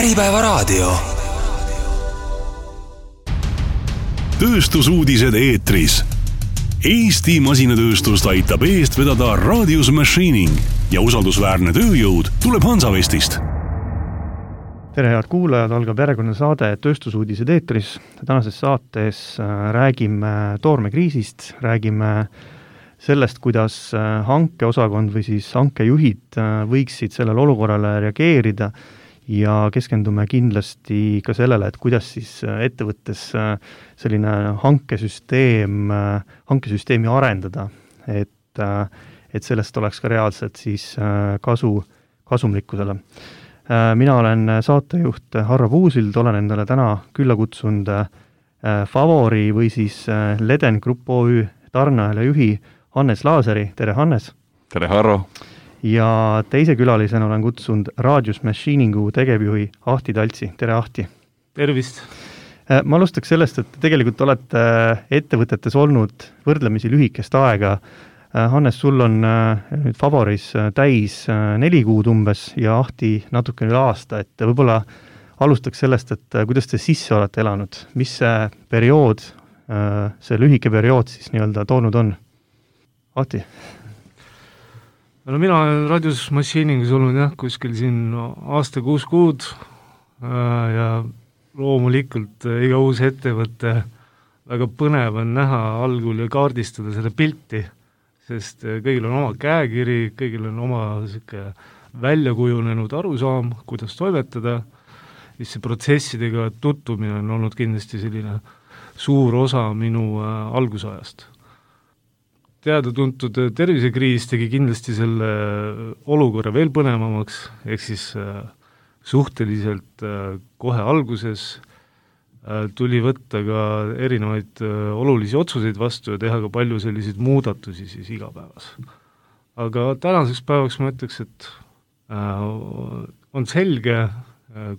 Äripäevaraadio. Tööstusuudised eetris. Eesti masinatööstust aitab eest vedada Radius Machining ja usaldusväärne tööjõud tuleb Hansavestist. Tere, head kuulajad, algab järjekordne saade Tööstusuudised eetris. Tänases saates räägime toormekriisist, räägime sellest, kuidas hankeosakond või siis hankejuhid võiksid sellele olukorrale reageerida ja keskendume kindlasti ka sellele, et kuidas siis ettevõttes selline hankesüsteemi arendada, et sellest oleks ka reaalselt siis kasumlikkusele. Mina olen saatejuht Harro Puusild, olen endale täna külla kutsunud Favori või siis Leden Grupp OÜ tarneahela juhi Hannes Laaseri. Tere, Hannes! Tere, Harro! Ja teise külalisena olen kutsunud Radius Machiningu tegevjuhi Ahti Taltsi. Tere, Ahti! Tervist! Ma alustaks sellest, et tegelikult olete ettevõtetes olnud võrdlemisi lühikest aega. Hannes, sul on nüüd Favoris täis 4 kuud umbes ja Ahti natuke üle aasta, et võib-olla alustaks sellest, et kuidas te sisse olete elanud, mis see periood, see lühike periood siis nii-öelda toonud on? Ahti? No mina olen Radius Machiningus olnud kuskil siin aasta 6 kuud ja loomulikult iga uus ettevõte väga põnev on näha algul ja kaardistada seda pilti, sest kõigil on oma käekiri, kõigil on oma väljakujunenud arusaam, kuidas toimetada, siis see protsessidega tutvumine on olnud kindlasti selline suur osa minu algusajast. Teada-tuntud tervisekriis tegi kindlasti selle olukorra veel põnevamaks, ehk siis suhteliselt kohe alguses tuli võtta ka erinevaid olulisi otsuseid vastu ja teha ka palju selliseid muudatusi siis igapäevas. Aga tänaseks päevaks ma ütleks, et on selge,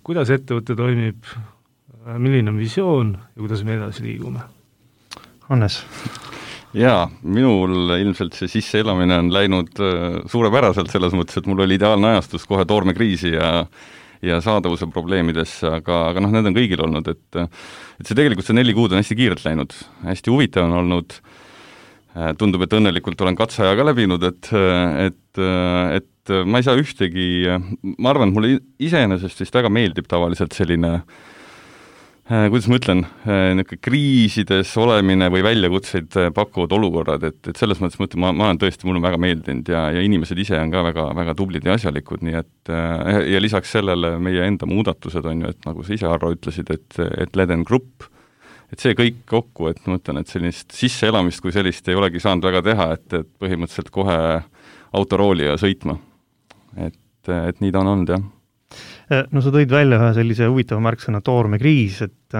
kuidas ettevõte toimib, milline on visioon ja kuidas me edasi liigume. Hannes? Jaa, minul ilmselt see sisseelamine on läinud suurepäraselt selles mõttes, et mul oli ideaalne ajastus kohe toormekriisi ja saadavuse probleemidesse, aga need on kõigil olnud, et see tegelikult see 4 kuud on hästi kiirelt läinud, hästi huvitav on olnud, tundub, et õnnelikult olen katseaja ka läbinud, et ma ei saa ühtegi, ma arvan, et mulle iseenesest vist väga meeldib tavaliselt selline kuidas ma ütlen, kriisides olemine või väljakutseid pakuvad olukorrad, et selles mõttes mõtlen, ma olen tõesti, mul on väga meeldinud ja inimesed ise on ka väga, väga tublid ja asjalikud, nii et ja lisaks sellele meie enda muudatused on ju, et nagu sa ise, Harro, ütlesid, et Leden Grupp, et see kõik kokku, et ma mõtlen, et sellist sisseelamist kui sellist ei olegi saanud väga teha, et põhimõtteliselt kohe autorooli ja sõitma. Et nii ta on olnud, jah. No sa tõid välja ühe sellise huvitava märksõna toormekriis, et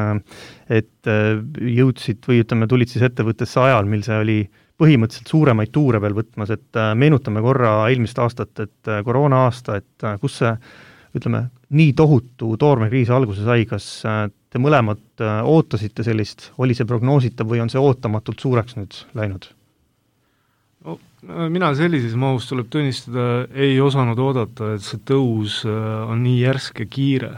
jõudsid või ütleme, tulid siis ettevõttesse ajal, mil see oli põhimõtteliselt suuremaid tuure veel võtmas, et meenutame korra eelmist aastat, et koroona aasta, et kus see, ütleme, nii tohutu toormekriis alguse sai, kas te mõlemad ootasite sellist, oli see prognoositav või on see ootamatult suureks nüüd läinud? No, mina sellises mahus tuleb tunnistada, ei osanud oodata, et see tõus on nii järsk ja kiire.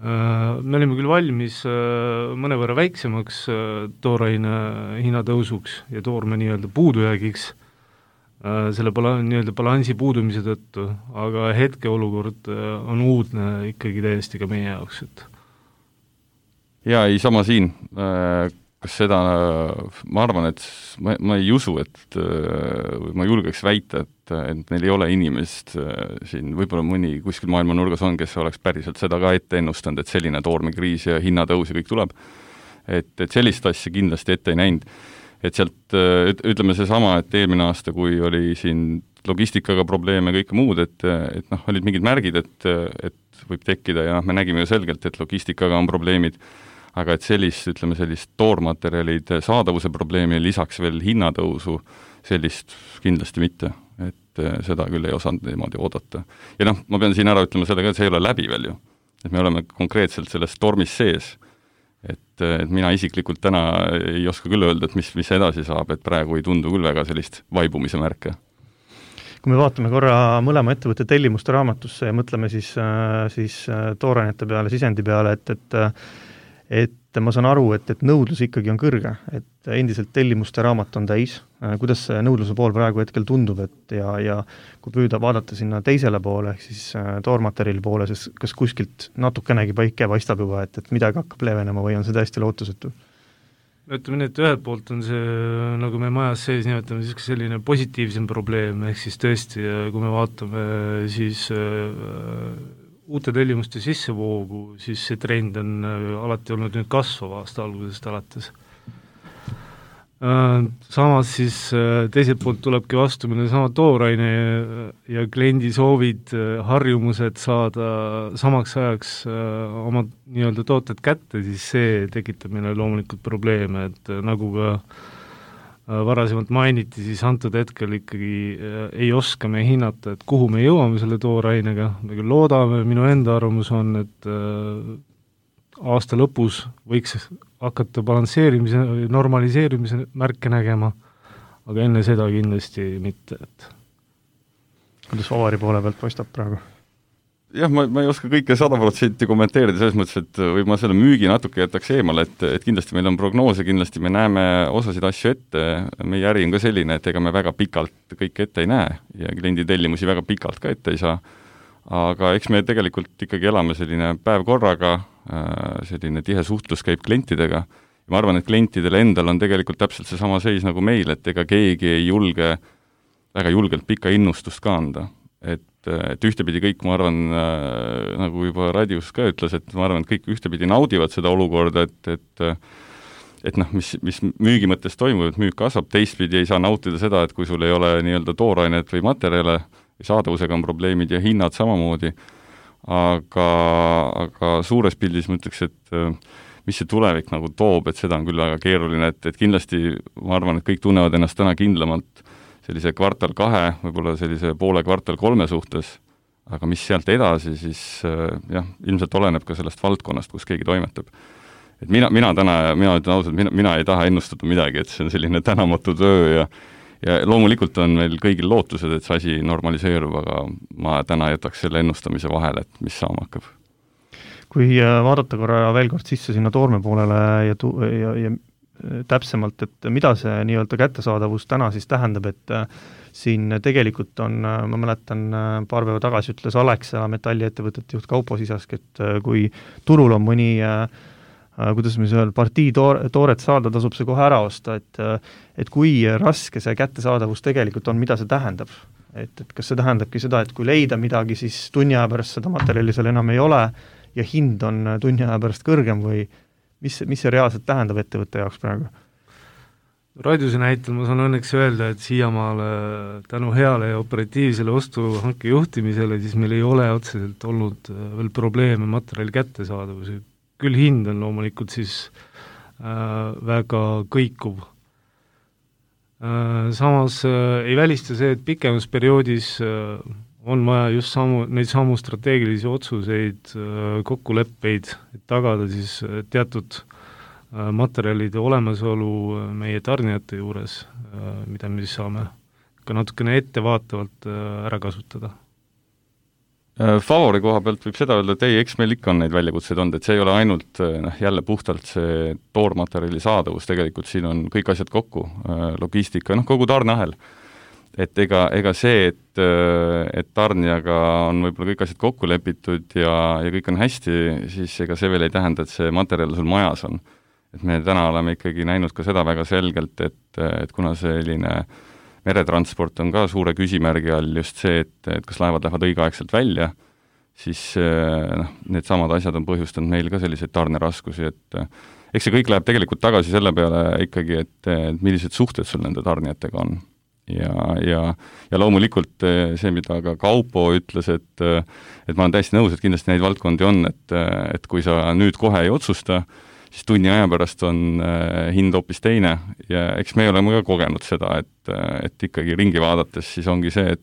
Me olime küll valmis mõnevõrra väiksemaks tooraine hinnatõusuks ja toorme nii-öelda puudujäägiks selle nii-öelda balansi puudumise tõttu, aga hetkeolukord on uudne ikkagi täiesti ka meie jaoks. Jaa, ei sama siin. Kas seda, ma arvan, et ma ei usu, et ma julgeks väita, et neil ei ole inimest siin, võib-olla mõni kuskil maailma nurgas on, kes oleks päriselt seda ka ette ennustanud, et selline toormekriis ja hinnatõus ja kõik tuleb. Et sellist asja kindlasti ette ei näinud. Et sealt, ütleme seesama, et eelmine aasta, kui oli siin logistikaga probleeme ja kõike muud, et olid mingid märgid, et võib tekkida ja me nägime ju selgelt, et logistikaga on probleemid, aga et sellist toormaterjalid saadavuse probleemi ja lisaks veel hinnatõusu, sellist kindlasti mitte, et seda küll ei osanud niimoodi oodata. Ja ma pean siin ära ütlema sellega, et see ei ole läbi veel ju, et me oleme konkreetselt selles tormis sees, et mina isiklikult täna ei oska küll öelda, et mis edasi saab, et praegu ei tundu küll väga sellist vaibumise märke. kui me vaatame korra mõlema ettevõtte tellimuste raamatusse ja mõtleme siis toorainete peale, sisendi peale, et ma saan aru, et nõudlus ikkagi on kõrge, et endiselt tellimuste raamat on täis. Kuidas see nõudluse pool praegu hetkel tundub, et ja kui püüda vaadata sinna teisele poole, ehk siis toormaterjali poole, siis kas kuskilt natukenegi päike paistab juba, et midagi hakkab leevenema või on see täiesti lootusetu? Ütleme nii, et ühelt poolt on see, nagu me majas sees nimetame, selline positiivsem probleem, ehk siis tõesti, kui me vaatame siis uute tellimuste sissevoogu, siis see trend on alati olnud nüüd kasvav aasta algusest alates. Samas siis teiselt poolt tulebki vastu meil sama tooraine ja kliendi soovid, harjumused saada samaks ajaks oma nii-öelda tooted kätte, siis see tekitab meile loomulikult probleeme, et nagu ka varasemalt mainiti, siis antud hetkel ikkagi ei oska me hinnata, et kuhu me jõuame selle toorainega, me küll loodame, minu enda arvamus on, et aasta lõpus võiks hakata balansseerimise, normaliseerimise märke nägema, aga enne seda kindlasti mitte. Kuidas Ovari poole pealt paistab praegu? Jah, ma ei oska kõike 100% kommenteerida, selles mõttes, et või ma selle müügi natuke jätaks eemale, et kindlasti meil on prognoose, kindlasti me näeme osasid asju ette, meie äri on ka selline, et ega me väga pikalt kõike ette ei näe ja kliendi tellimusi väga pikalt ka ette ei saa, aga eks me tegelikult ikkagi elame selline päev korraga, selline tihe suhtlus käib klientidega ja ma arvan, et klientidel endal on tegelikult täpselt see sama seis nagu meil, et ega keegi ei julge väga julgelt pikka innustust ka anda. Et ühtepidi kõik, ma arvan, nagu juba Radius ka ütles, et ma arvan, et kõik ühtepidi naudivad seda olukorda, et mis müügi mõttes toimub, et müük kasvab, teistpidi ei saa nautida seda, et kui sul ei ole nii-öelda toorainet või materjale, saadavusega on probleemid ja hinnad samamoodi, aga suures pildis ma ütleks, et mis see tulevik nagu toob, et seda on küll väga keeruline, et kindlasti ma arvan, et kõik tunnevad ennast täna kindlamalt sellise kvartal 2, võib-olla sellise poole kvartal 3 suhtes, aga mis sealt edasi, siis jah, ilmselt oleneb ka sellest valdkonnast, kus keegi toimetab. Et mina ütlen ausalt, mina ei taha ennustada midagi, et see on selline tänamatu töö ja loomulikult on meil kõigil lootused, et see asi normaliseerub, aga ma täna jätaks selle ennustamise vahele, et mis saama hakkab. Kui vaadata korra veel kord sisse sinna toorme poolele ja täpsemalt, et mida see nii-öelda kättesaadavus täna siis tähendab, et siin tegelikult on, ma mäletan, paar päeva tagasi ütles Alexa metalliettevõtete juht Kaupo Sisask, et kui turul on mõni, kuidas me seal partii tooret saada, tasub see kohe ära osta, et kui raske see kättesaadavus tegelikult on, mida see tähendab. Et kas see tähendabki seda, et kui leida midagi, siis tunni aja pärast seda materjali seal enam ei ole ja hind on tunni aja pärast kõrgem või mis see reaalselt tähendab ettevõtte jaoks praegu? Radiuse näitel ma saan õnneks öelda, et siiamaale tänu heale ja operatiivsele ostuhanke juhtimisele, siis meil ei ole otseselt olnud veel probleeme materjali kättesaadavuse. Küll hind on loomulikult siis väga kõikuv. Samas ei välista see, et pikemas perioodis on vaja just neid samu strateegilisi otsuseid, kokkuleppeid, et tagada siis teatud materjalide olemasolu meie tarnijate juures, mida me siis saame ka natukene ettevaatavalt ära kasutada. Favori koha pealt võib seda öelda, et eks meil ikka on neid väljakutseid olnud, et see ei ole ainult jälle puhtalt see toormaterjali saadavus, tegelikult siin on kõik asjad kokku, logistika, kogu tarneahel. Et ega see, et tarnijaga on võib-olla kõik asjad kokku lepitud ja kõik on hästi, siis ega see veel ei tähenda, et see materjal sul majas on. Et me täna oleme ikkagi näinud ka seda väga selgelt, et kuna selline meretransport on ka suure küsimärgi all just see, et kas laevad lähevad õigeaegselt välja, siis need samad asjad on põhjustanud meil ka selliseid tarneraskusi, et eks see kõik läheb tegelikult tagasi selle peale ikkagi, et millised suhted sul nende tarnijatega on. Ja loomulikult see, mida ka Kaupo ütles, et ma olen täiesti nõus, et kindlasti neid valdkondi on, et kui sa nüüd kohe ei otsusta, siis tunni aja pärast on hind hoopis teine ja eks me oleme ka kogenud seda, et ikkagi ringi vaadates siis ongi see,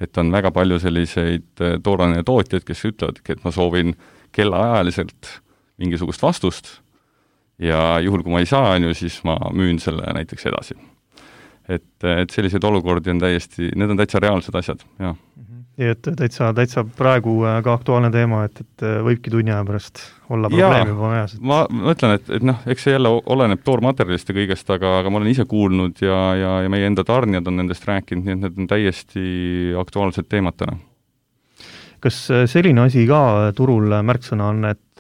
et on väga palju selliseid tooraine tootjaid, kes ütlevad, et ma soovin kellaajaliselt mingisugust vastust ja juhul, kui ma ei saa, siis ma müün selle näiteks edasi. et selliseid olukordi on need on täitsa reaalsed asjad, jah. Nii et täitsa praegu ka aktuaalne teema, et võibki tunni aja pärast olla probleemi juba majas. Ma mõtlen, et eks see jälle oleneb toormaterjalist ja kõigest, aga ma olen ise kuulnud ja meie enda tarnijad on nendest rääkinud, nii et need on täiesti aktuaalsed teemad täna. Kas selline asi ka turul märksõna on, et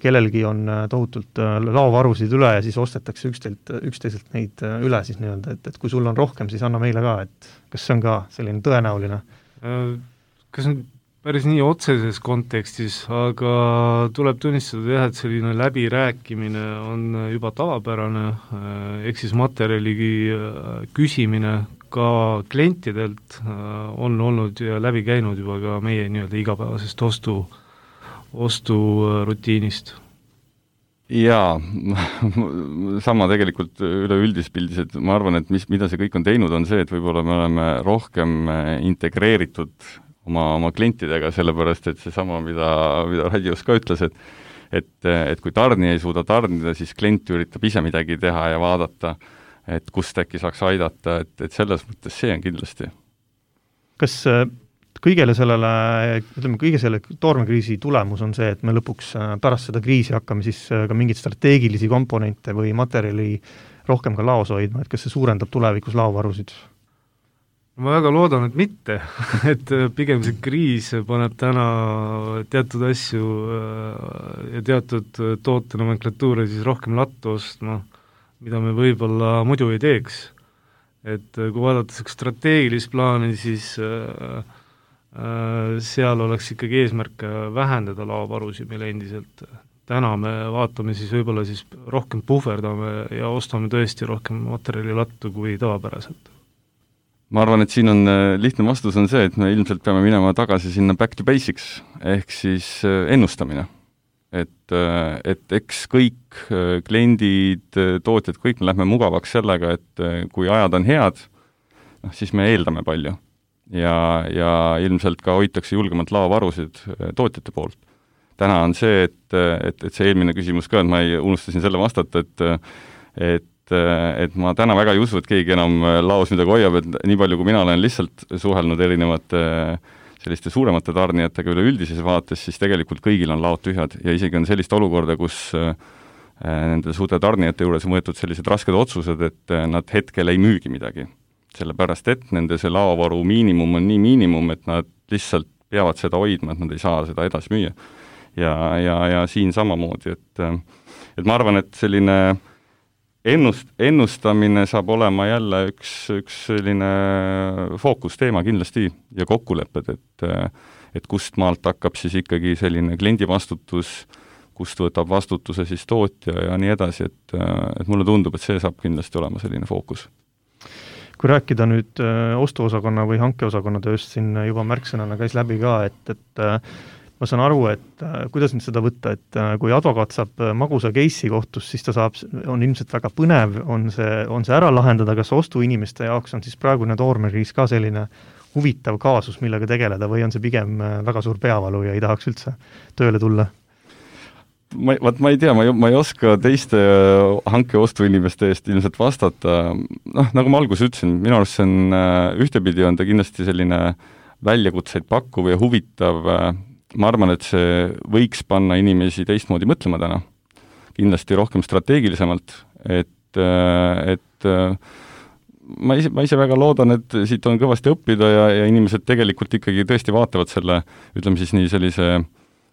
kellelgi on tohutult laovarusid üle ja siis ostetakse üksteiselt neid üle siis nii-öelda, et kui sul on rohkem, siis anna meile ka, et kas see on ka selline tõenäoline? Kas on päris nii otseses kontekstis, aga tuleb tunnistada jah, et selline läbirääkimine on juba tavapärane, ehk siis materjali küsimine ka klientidelt on olnud ja läbi käinud juba ka meie nii-öelda igapäevasest osturutiinist. Jaa, sama tegelikult üleüldis pildis, et ma arvan, et mida see kõik on teinud, on see, et võib-olla me oleme rohkem integreeritud oma klientidega, sellepärast et seesama, mida Radios ka ütles, et kui tarnija ei suuda tarnida, siis klient üritab ise midagi teha ja vaadata, et kust äkki saaks aidata, et selles mõttes see on kindlasti. Kas kõige selle toormekriisi tulemus on see, et me lõpuks pärast seda kriisi hakkame siis ka mingeid strateegilisi komponente või materjali rohkem ka laos hoidma, et kas see suurendab tulevikus laovarusid? Ma väga loodan, et mitte, et pigem see kriis paneb täna teatud asju ja teatud tootenomenklatuure siis rohkem lattu ostma, mida me võib-olla muidu ei teeks. Et kui vaadata strateegilist plaani, siis seal oleks ikkagi eesmärk vähendada laovarusid meil endiselt. Täna me vaatame siis võib-olla siis rohkem puhverdame ja ostame tõesti rohkem materjali lattu kui tavapäraselt. Ma arvan, et siin on lihtne vastus on see, et me ilmselt peame minema tagasi sinna back to basics, ehk siis ennustamine. Et eks kõik kliendid, tootjad, kõik me lähme mugavaks sellega, et kui ajad on head, siis me eeldame palju. Ja ilmselt ka hoitakse julgemalt laovarusid tootjate poolt. Täna on see, et see eelmine küsimus ka, et ma unustasin selle vastata, et ma täna väga ei usu, et keegi enam laos midagi hoiab, et nii palju, kui mina olen lihtsalt suhelnud erinevate selliste suuremate tarnijatega üleüldises vaates, siis tegelikult kõigil on laod tühjad ja isegi on sellist olukorda, kus nende suurte tarnijate juures on võetud sellised rasked otsused, et nad hetkel ei müügi midagi. Sellepärast, et nende see laovaru miinimum on nii miinimum, et nad lihtsalt peavad seda hoidma, et nad ei saa seda edasi müüa. Ja siin samamoodi, et ma arvan, et selline ennustamine saab olema jälle üks selline fookusteema kindlasti ja kokkulepped, et kust maalt hakkab siis ikkagi selline kliendi vastutus, kust võtab vastutuse siis tootja ja nii edasi, et mulle tundub, et see saab kindlasti olema selline fookus. Kui rääkida nüüd ostuosakonna või hankeosakonna tööst, siin juba märksõnana käis läbi ka, et ma saan aru, et kuidas nüüd seda võtta, et kui advokaat saab magusa case'i kohtus, siis ta on ilmselt väga põnev, on see ära lahendada, kas ostuinimeste jaoks on siis praegune toormekriis ka selline huvitav kaasus, millega tegeleda, või on see pigem väga suur peavalu ja ei tahaks üldse tööle tulla? Ma ei tea, ma ei oska teiste hanke-ostuinimeste eest ilmselt vastata. Nagu ma alguses ütlesin, minu arust see on, ühtepidi on ta kindlasti selline väljakutseid pakkuv ja huvitav. Ma arvan, et see võiks panna inimesi teistmoodi mõtlema täna. Kindlasti rohkem strateegilisemalt, et ma ise väga loodan, et siit on kõvasti õppida ja inimesed tegelikult ikkagi tõesti vaatavad selle, ütleme siis nii sellise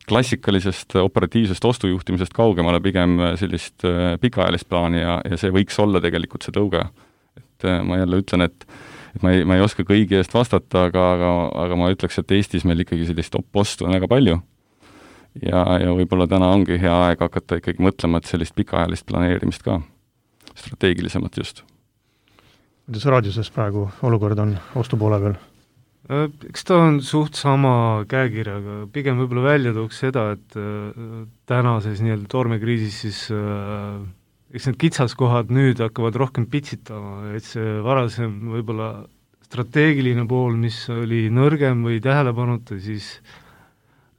klassikalisest operatiivsest ostujuhtimisest kaugemale pigem sellist pikaajalist plaani ja see võiks olla tegelikult see tõuge. Et ma jälle ütlen, et ma ei oska kõigi eest vastata, aga ma ütleks, et Eestis meil ikkagi sellist ostu on väga palju ja võib-olla täna ongi hea aeg hakata ikkagi mõtlema, et sellist pikaajalist planeerimist ka, strateegilisemalt just. Kuidas Radioses praegu olukord on ostupoole peal? Eks ta on suht sama käekirjaga, pigem võib-olla välja tooks seda, et tänases nii-öelda toormekriisis siis eks need kitsaskohad nüüd hakkavad rohkem pitsitama, et see varasem võib-olla strateegiline pool, mis oli nõrgem või tähelepanuta, siis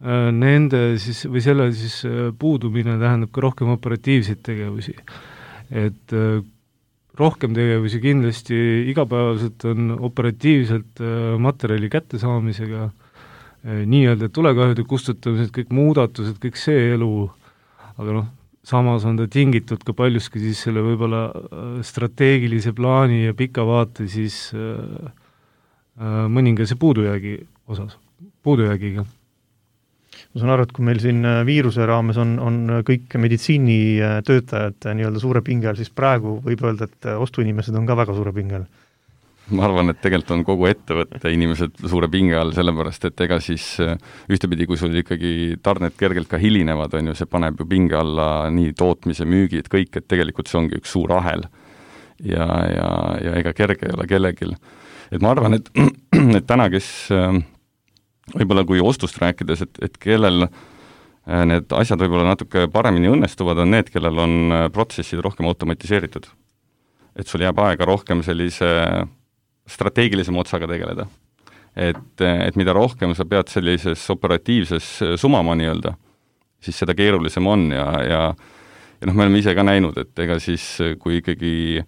nende siis või selle siis puudumine tähendab ka rohkem operatiivseid tegevusi. Et rohkem tegevusi kindlasti igapäevaselt on operatiivselt materjali kättesaamisega, nii-öelda tulekahjude kustutamised, kõik muudatused, kõik see elu, aga samas on ta tingitud ka paljuski siis selle võib-olla strateegilise plaani ja pika vaate siis mõningase puudujäägiga. Ma saan aru, et kui meil siin viiruse raames on kõik meditsiinitöötajad nii-öelda suure pinge all, siis praegu võib öelda, et ostuinimesed on ka väga suure pinge all. Ma arvan, et tegelikult on kogu ettevõtte inimesed suure pinge all, sellepärast et ega siis ühtepidi, kui sul ikkagi tarned kergelt ka hilinevad, on ju, see paneb ju pinge alla nii tootmise, müügid, kõik, et tegelikult see ongi üks suur ahel. Ja ega kerge ei ole kellegil. Et ma arvan, et täna, kes võib-olla kui ostust rääkides, et kellel need asjad võib-olla natuke paremini õnnestuvad, on need, kellel on protsessid rohkem automatiseeritud. Et sul jääb aega rohkem sellise strateegilisem otsaga tegeleda. Et mida rohkem sa pead sellises operatiivses sumama nii-öelda, siis seda keerulisem on ja me oleme ise ka näinud, et ega siis kui ikkagi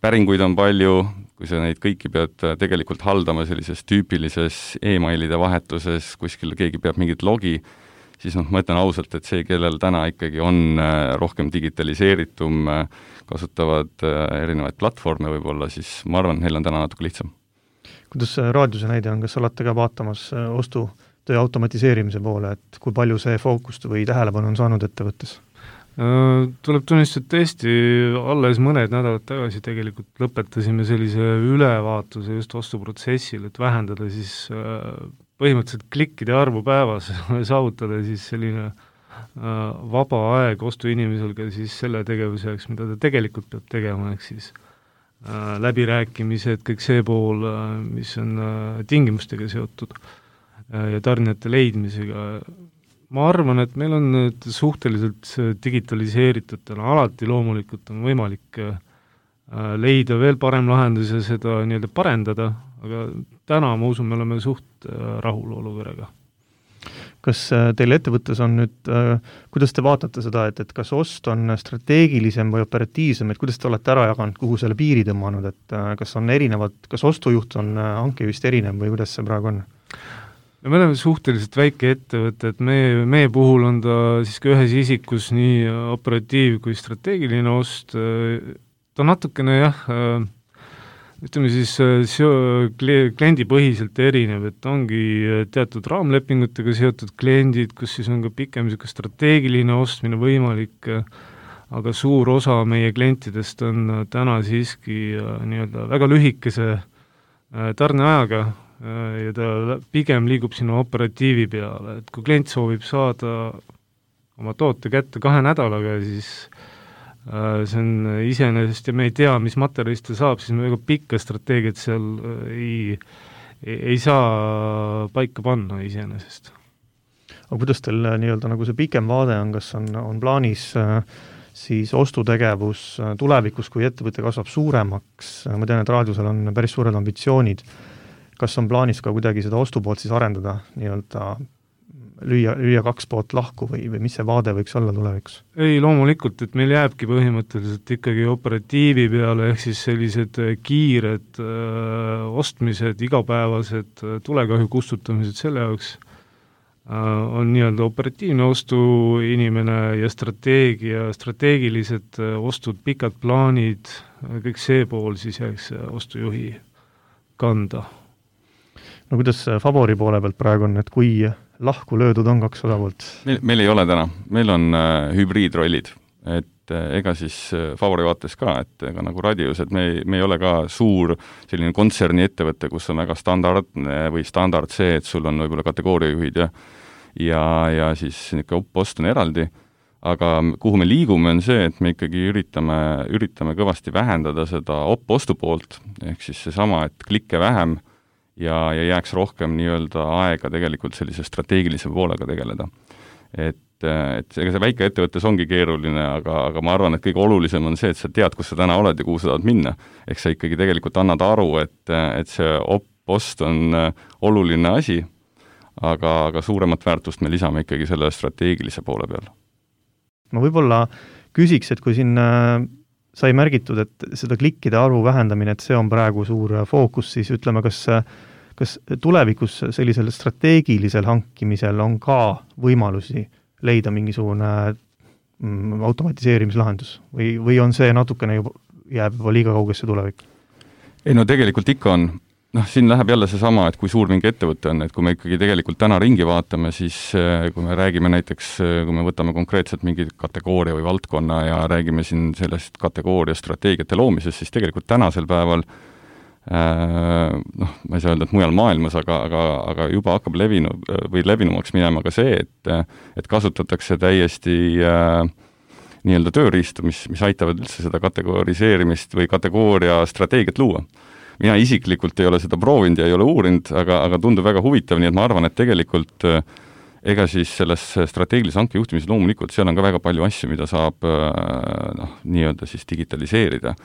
päringuid on palju, kui sa neid kõiki pead tegelikult haldama sellises tüüpilises e-mailide vahetuses, kuskil keegi peab mingit logi, siis ma ütlen ausalt, et see, kellel täna ikkagi on rohkem digitaliseeritum, kasutavad erinevaid platvorme võib-olla, siis ma arvan, neil on täna natuke lihtsam. Kuidas raadiose näide on, kas olete ka vaatamas ostutöö automatiseerimise poole, et kui palju see fookust või tähelepanu on saanud ettevõttes? Tuleb tunnistada, et tõesti alles mõned nädalad tagasi tegelikult lõpetasime sellise ülevaatuse just ostuprotsessil, et vähendada siis põhimõtteliselt klikkide arvu päevas, saavutada siis selline vaba aeg ostuinimesel ka siis selle tegevuseks, mida ta tegelikult peab tegema, ehk siis läbirääkimised, kõik see pool, mis on tingimustega seotud ja tarnijate leidmisega. Ma arvan, et meil on nüüd suhteliselt digitaliseeritud, alati loomulikult on võimalik leida veel parem lahendus ja seda nii-öelda parendada, aga täna ma usun, me oleme suht rahul olukorraga. Kas teil ettevõttes on nüüd, kuidas te vaatate seda, et kas ost on strateegilisem või operatiivsem, et kuidas te olete ära jaganud, kuhu selle piiri tõmmanud, et kas on erinevad, kas ostujuht on hankevist erinev või kuidas see praegu on? Me oleme suhteliselt väike ettevõte, et meie puhul on ta siiski ühes isikus nii operatiiv kui strateegiline ost. Ta natukene ütleme siis kliendipõhiselt erinev, et ongi teatud raamlepingutega seotud kliendid, kus siis on ka pikem strateegiline ostmine võimalik, aga suur osa meie klientidest on täna siiski nii-öelda väga lühikese tarneajaga ja ta pigem liigub sinna operatiivi peale, et kui klient soovib saada oma toote kätte 2 nädalaga, siis see on iseenesest ja me ei tea, mis materjalist ta saab, siis me väga pikka strateegiat seal ei saa paika panna iseenesest. Aga kuidas teil nii-öelda nagu see pikem vaade on, kas on plaanis siis ostutegevus tulevikus, kui ettevõte kasvab suuremaks, ma tean, et raadiosel on päris suured ambitsioonid, kas on plaanis ka kuidagi seda ostupoolt siis arendada, nii-öelda lüüa 2 poolt lahku või mis see vaade võiks olla tulevikus? Ei, loomulikult, et meil jääbki põhimõtteliselt ikkagi operatiivi peale, ehk siis sellised kiired ostmised, igapäevased tulekahju kustutamised selle jaoks on nii-öelda operatiivne ostuinimene ja strateegilised ostud, pikad plaanid, kõik see pool siis jääks ostujuhi kanda. No kuidas Favori poole pealt praegu on, et kui lahku löödud on 2 osapoolt? Meil ei ole täna, meil on hübriidrollid, et ega siis Favori vaates ka, et ega nagu radios, et me ei ole ka suur selline kontserni ettevõte, kus on väga standardne või standard see, et sul on võib-olla kategooriajuhid ja siis post on eraldi, aga kuhu me liigume on see, et me ikkagi üritame kõvasti vähendada seda ostu poolt, ehk siis seesama, et klikke vähem ja jääks rohkem nii-öelda aega tegelikult sellise strateegilise poolega tegeleda. Et ega see väike ettevõttes ongi keeruline, aga ma arvan, et kõige olulisem on see, et sa tead, kus sa täna oled ja kuhu sa tahad minna. Ehk sa ikkagi tegelikult annad aru, et see post on oluline asi, aga suuremat väärtust me lisame ikkagi selle strateegilise poole peal. Ma võib-olla küsiks, et kui siin sai märgitud, et seda klikkide arvu vähendamine, et see on praegu suur fookus, siis ütleme, kas tulevikus sellisel strateegilisel hankimisel on ka võimalusi leida mingisugune automatiseerimislahendus või on see natukene jääb juba liiga kaugesse tulevik? Ei no tegelikult ikka on. Siin läheb jälle seesama, et kui suur mingi ettevõte on, et kui me ikkagi tegelikult täna ringi vaatame, siis kui me räägime näiteks, kui me võtame konkreetselt mingi kategooria või valdkonna ja räägime siin sellest kategooria strateegiate loomisest, siis tegelikult tänasel päeval ma ei saa öelda, et mujal maailmas, aga juba hakkab levinumaks minema ka see, et kasutatakse täiesti nii-öelda tööriistu, mis aitavad üldse seda kategoriseerimist või kategooria strateegiat luua. Mina isiklikult ei ole seda proovinud ja ei ole uurinud, aga tundub väga huvitav, nii et ma arvan, et tegelikult ega siis selles strateegilise hanke juhtimises loomulikult seal on ka väga palju asju, mida saab nii-öelda siis digitaliseerida.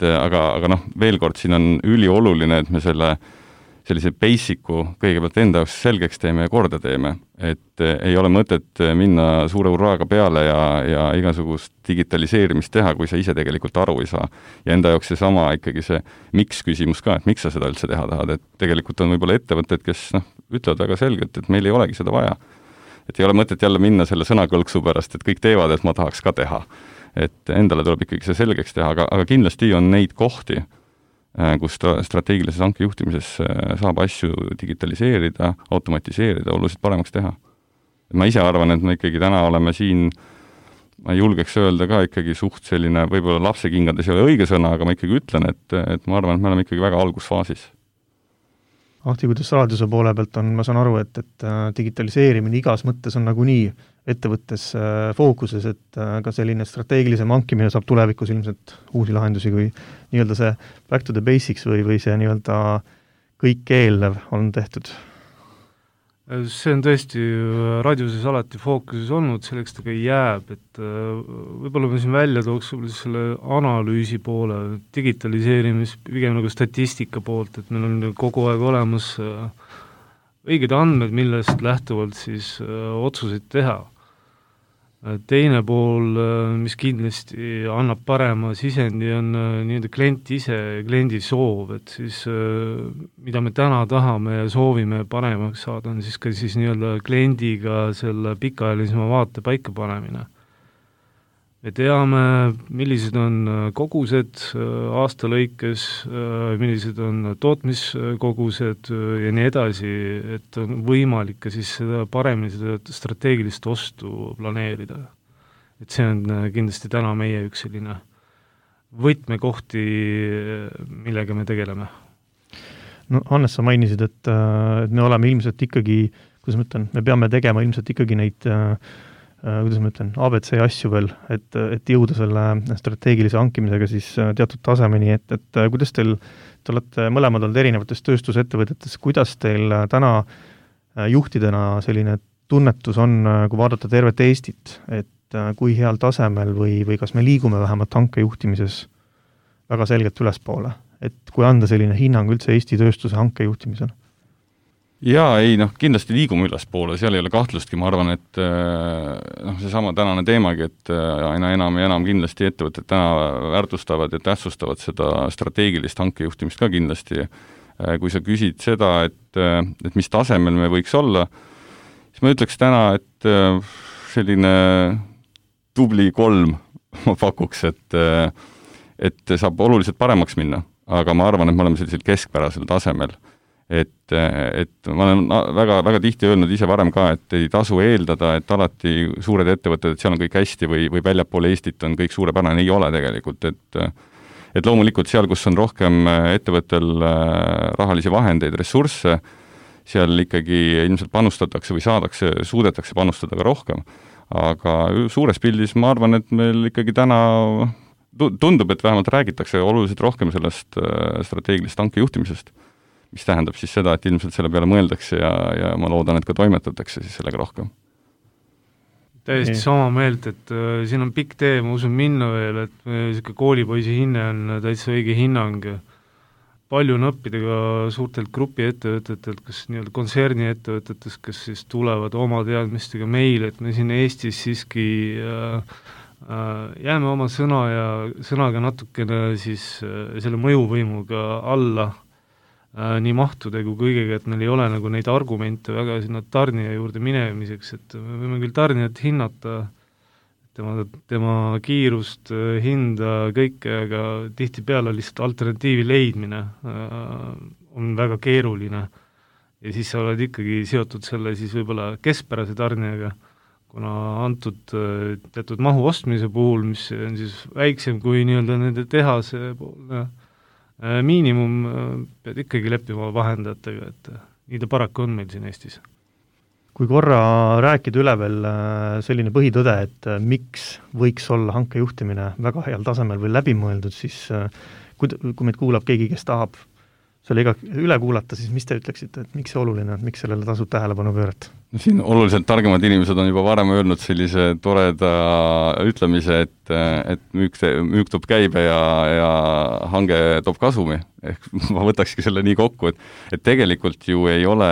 Aga veel kord, siin on ülioluline, et me sellise basic'u kõigepealt enda jaoks selgeks teeme ja korda teeme, et ei ole mõtet minna suure urraaga peale ja igasugust digitaliseerimist teha, kui sa ise tegelikult aru ei saa. Ja enda jaoks seesama ikkagi see miks küsimus ka, et miks sa seda üldse teha tahad, et tegelikult on võib-olla ettevõtted, kes ütlevad väga selgelt, et meil ei olegi seda vaja. Et ei ole mõtet jälle minna selle sõnakõlksu pärast, et kõik teevad, et ma tahaks ka teha. Et endale tuleb ikkagi see selgeks teha, aga kindlasti on neid kohti, kus strateegilises hanke juhtimises saab asju digitaliseerida, automatiseerida, oluliselt paremaks teha. Ma ise arvan, et me ikkagi täna oleme siin, ma julgeks öelda ka ikkagi suht selline, võib-olla lapsekingades ei ole õige sõna, aga ma ikkagi ütlen, et ma arvan, et me oleme ikkagi väga algusfaasis. Ahti, kuidas raadiose poole pealt on, ma saan aru, et digitaliseerimine igas mõttes on nagunii ettevõttes fookuses, et ka selline strateegilisem hankimine saab tulevikus ilmselt uusi lahendusi, kui nii-öelda see back to the basics või see nii-öelda kõik eelnev on tehtud. See on tõesti raadiuses alati fookuses olnud, selleks ta ka jääb, et võib-olla ma siin välja tooks selle analüüsi poole, digitaliseerimis, pigem nagu statistika poolt, et meil on kogu aeg olemas õiged andmed, millest lähtuvalt siis otsuseid teha. Teine pool, mis kindlasti annab parema sisendi, on nii-öelda klient ise, kliendi soov, et siis mida me täna tahame ja soovime paremaks saada, on siis ka siis nii-öelda kliendiga selle pikaajalisema vaate paika panemine. Me teame, millised on kogused aasta lõikes, millised on tootmiskogused ja nii edasi, et on võimalik ka siis seda paremini seda strateegilist ostu planeerida. Et see on kindlasti täna meie üks selline võtmekohti, millega me tegeleme. No Hannes, sa mainisid, et me oleme ilmselt ikkagi, kuidas ma ütlen, me peame tegema ilmselt ikkagi neid kuidas ma ütlen, ABC asju veel, et jõuda selle strateegilise hankimisega siis teatud tasemeni, et kuidas te olete mõlemad olnud erinevates tööstusettevõtetes, kuidas teil täna juhtidena selline tunnetus on, kui vaadata tervet Eestit, et kui heal tasemel või kas me liigume vähemalt hankejuhtimises väga selgelt ülespoole, et kui anda selline hinnang üldse Eesti tööstuse hankejuhtimisel? Jaa, ei, kindlasti liigume ülespoole, seal ei ole kahtlustki, ma arvan, et seesama tänane teemagi, et aina enam ja enam kindlasti ettevõtted täna väärtustavad ja tähtsustavad seda strateegilist hankejuhtimist ka kindlasti. Kui sa küsid seda, et mis tasemel me võiks olla, siis ma ütleks täna, et selline tubli 3 ma pakuks, et saab oluliselt paremaks minna, aga ma arvan, et me oleme sellisel keskpärasel tasemel. Et ma olen väga, väga tihti öelnud ise varem ka, et ei tasu eeldada, et alati suured ettevõtted, et seal on kõik hästi või väljapoole Eestit on kõik suurepärane, ei ole tegelikult, et loomulikult seal, kus on rohkem ettevõttel rahalisi vahendeid, ressursse, seal ikkagi ilmselt panustatakse või suudetakse panustada ka rohkem, aga suures pildis ma arvan, et meil ikkagi täna tundub, et vähemalt räägitakse oluliselt rohkem sellest strateegilist hankejuhtimisest, mis tähendab siis seda, et ilmselt selle peale mõeldakse ja ma loodan, et ka toimetatakse siis sellega rohkem. Täiesti sama meelt, et siin on pikk tee, ma usun minna veel, et selline koolipoisi hinne on täitsa õige hinnang. Palju on õppida ka suurtelt grupi ettevõtetelt, kas nii-öelda kontserni ettevõtetest, kes siis tulevad oma teadmistega meile, et me siin Eestis siiski jääme oma sõnaga natukene siis selle mõjuvõimuga alla nii mahtude kui kõigega, et meil ei ole nagu neid argumente väga sinna tarnija juurde minemiseks, et me võime küll tarnijat hinnata, tema kiirust, hinda, kõike, aga tihtipeale lihtsalt alternatiivi leidmine on väga keeruline ja siis sa oled ikkagi seotud selle siis võib-olla keskpärase tarnijaga, kuna antud teatud mahu ostmise puhul, mis on siis väiksem kui nii-öelda nende tehase poolne miinimum, pead ikkagi leppima vahendajatega, et nii ta paraku on meil siin Eestis. Kui korra rääkida üle veel selline põhitõde, et miks võiks olla hankejuhtimine väga heal tasemel või läbimõeldud, siis kui meid kuulab keegi, kes tahab selle üle kuulata, siis mis te ütleksite, et miks see oluline on, miks sellele tasub tähelepanu pöörata? Siin oluliselt targemad inimesed on juba varem öelnud sellise toreda ütlemise, et müük toob käibe ja hange toob kasumi. Ehk ma võtakski selle nii kokku, et tegelikult ju ei ole,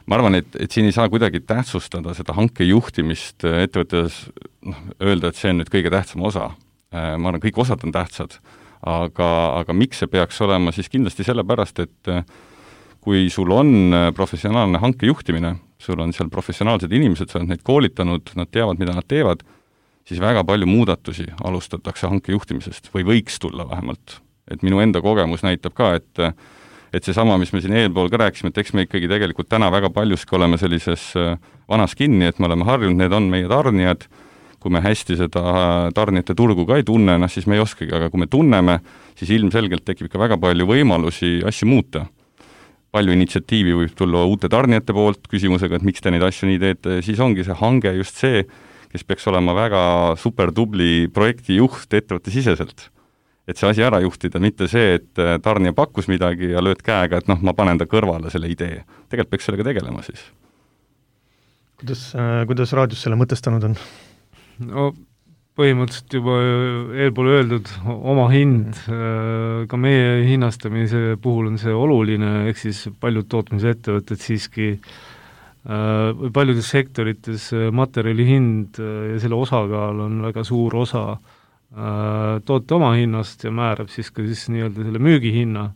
ma arvan, et siin ei saa kuidagi tähtsustada seda hankejuhtimist ettevõttes, öelda, et see on nüüd kõige tähtsam osa. Ma arvan, kõik osad on tähtsad, aga miks see peaks olema, siis kindlasti sellepärast, et kui sul on professionaalne hankejuhtimine, sul on seal professionaalsed inimesed, sa oled neid koolitanud, nad teavad, mida nad teevad, siis väga palju muudatusi alustatakse hankejuhtimisest või võiks tulla vähemalt. Et minu enda kogemus näitab ka, et seesama, mis me siin eelpool ka rääkisime, et eks me ikkagi tegelikult täna väga paljuski oleme sellises vanas kinni, et me oleme harjunud, need on meie tarnijad, kui me hästi seda tarnijate turgu ka ei tunne, siis me ei oskagi, aga kui me tunneme, siis ilmselgelt tekib ikka väga palju võimalusi asju muuta. Palju initsiatiivi võib tulla uute tarnijate poolt küsimusega, et miks te neid asju nii teete, siis ongi see hange just see, kes peaks olema väga super tubli projektijuht ettevõtte siseselt. Et see asi ära juhtida, mitte see, et tarnija pakkus midagi ja lööd käega, et ma panen ta kõrvale selle idee. Tegelikult peaks sellega tegelema siis. Kuidas raadios selle mõtestanud on? No põhimõtteliselt juba eelpool öeldud oma hind, ka meie hinnastamise puhul on see oluline, ehk siis paljud tootmisettevõtted siiski või paljudes sektorites materjali hind ja selle osakaal on väga suur osa toote oma hinnast ja määrab siis ka siis nii-öelda selle müügihinna,